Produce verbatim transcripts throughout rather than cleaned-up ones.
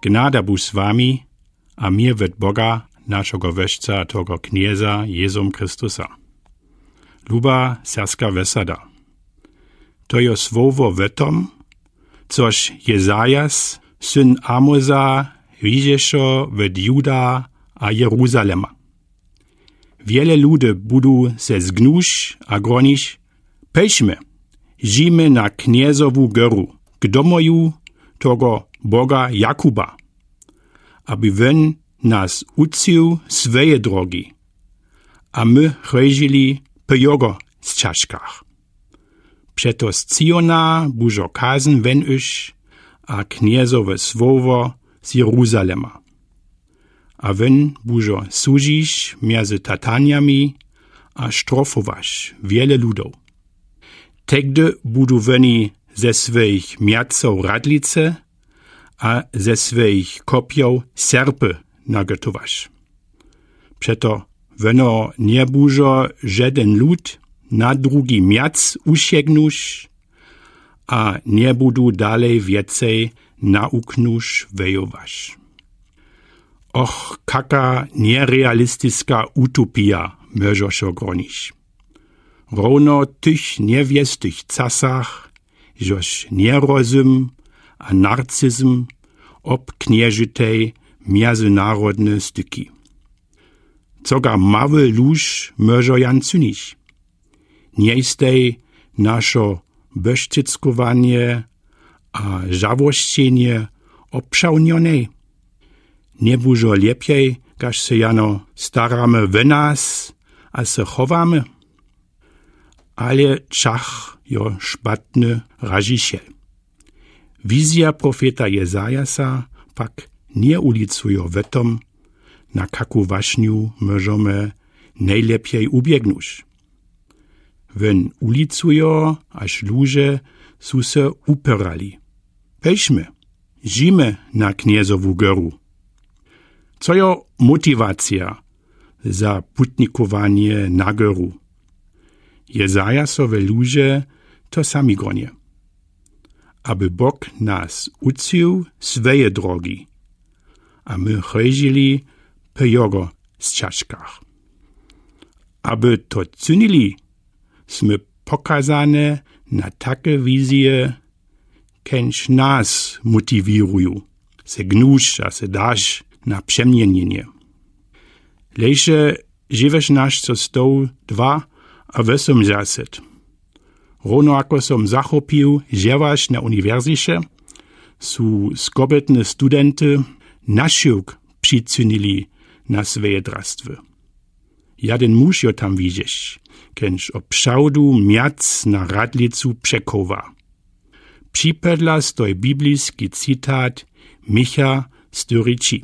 Gnada budź z wami a mir wot Boga, našeho Wójca, a toho Knjeza Jezum Chrystusa. Luba serbska wosada. To je słowo wó tom, což Jezajas, syn Amoza, widzješe wot Juda a Jeruzalema. Wiele ludu budu se zgnuć a gronić: Pejsmë, zdźimë na Knjezowu góru, k domoju toho Boga Jakuba, aby wón nas ucył sweje drogi, a më chòdźili pò jogò sćażkach. Přeto z Cyjona budźo kazn wón iś a Knjezowe słowo z Jeruzalema. A wón budźo sudźić mjezy tatanjami a štrofować wiele ludow. Tegdy budu wóni ze swojich mjacow radlice a ze swojich kopjow serpy nagòtować. Přeto wóno nje budźo žeden lud na drugi mjac usiegnuć a nje budu dalej wjecej na uknuć wejować. Och, kaka njerealistiska utopija, mòžo so gronić. Rowno w tych njewjestych casach, žož njerozum a narcizm obknježitej mjezynarodne styki. Coga mały lóž mòžo jan cynić? Nje stej našo bòšćickowanje a žałosćenje obšawnjonej? Nje budźo lěpjej, kaž se jano staramy wò nas a se chowamy? Ale čach jo špatny ražišel. Wizja profeta Jezajasa pak nje ulicujo wò tom, na kaku wašnju mòžomy nejlěpjej ubjegnuć. Wón ulicujo, až luže su se uperali: Pejsmë, zdźimë na Knjezowu góru. Co jo motiwacija za putnikowanje na góru? Jezajasowe luže to sami gronią: Aby Bóg nas ucył sweje drogi, a më chòdźili pò jogò sćażkach. Aby to cynili, smy pokazane na take wizje, kenž nas motiwiruju, se gnuć a se darć na přemjenjenje. Lejše dźewjatnašćo stow dwa a wosomdźaset. Rowno jako som zachopił, dźełaš na uniwersyće, su skobetny studenty našiwk přicynili na sweje drastwy. Jaden muž jo tam widźeć, kenž oprawdu mjac na radlicu překowa. Připodla stoj bibliski citat Micha styri tři.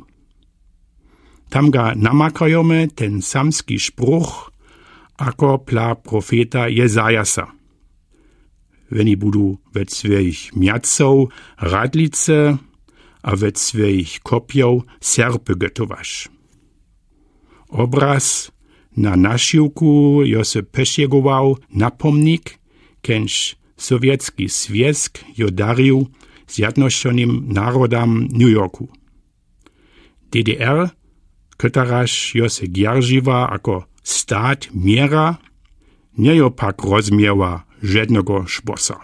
Tam ga namakajomy ten samski spruch, ako pla profeta Jezajasa: Wóni budu wot swojich mjacow radlice a wot swojich kopjow serpy gòtować. Obraz na našiwku jo se pòšegował napomnik, kenž Sowjetski zwjazk jo darił Zjednocenym Narodam New Yorku. D D R, koteraž jo se dźeržiła jako stat měra, nje jo pak rozmiała žednego šposa.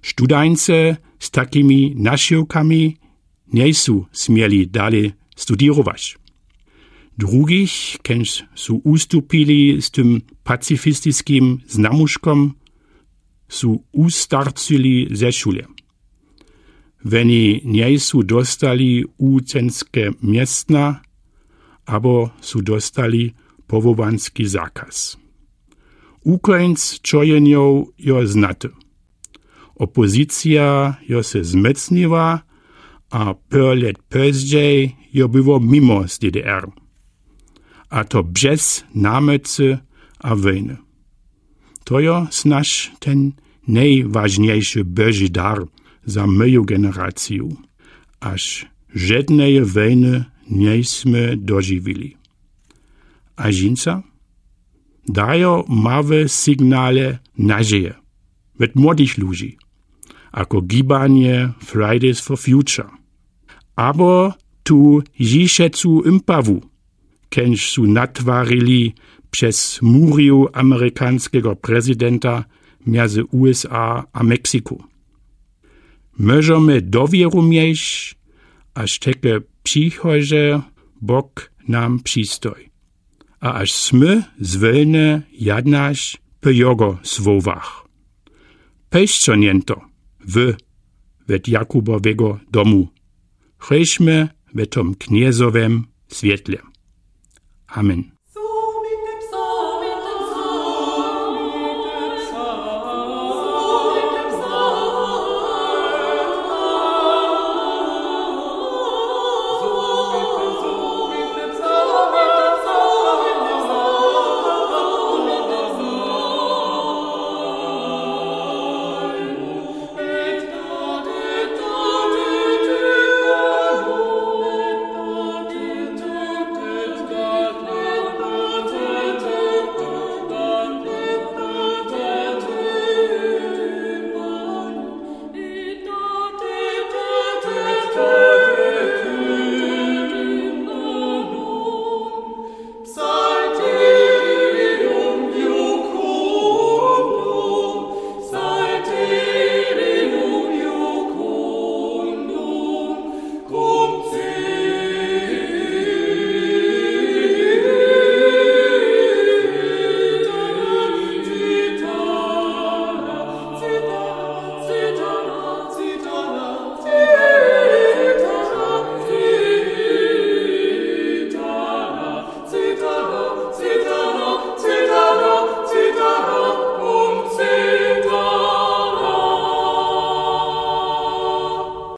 Študańce z takimi našiwkami njejsu směli dale studirować. Drugich, kenž su ustupili z tym pacifistiskim znamuškom, su ustarcyli ze šule. Wóni njejsu dostali wučenske městna, abo su dostali powołanski zakaz. Wukóńc čojenjow jo znaty. Opozycija jo se zmócniła a pôr lět pózdźej jo było mimo z D D R. A to bjez namòcy a wòjny. To jo snadź ten nejwažnjejszy bòži dar za mòju generaciju, až žedneje wòjny njejsmy dožiwili. A žińca? Dajo małe signale nadźeje wot młodych ludźi, ako gibanje Fridays for Future. abo tu jišecu impawu, kenž su natwarili přez muriju amerikanskego prezidenta mjezy U S A a Mexiku. Mòžemy dowěru mjejš, až teke přichodźe Bóg nam přistoj, a až smy zwólne jadnaš pò jógo słowach. Pejsćo njento, wy wot Jakubowego domu, chójmy w tom Knjezowem swětle. Amen.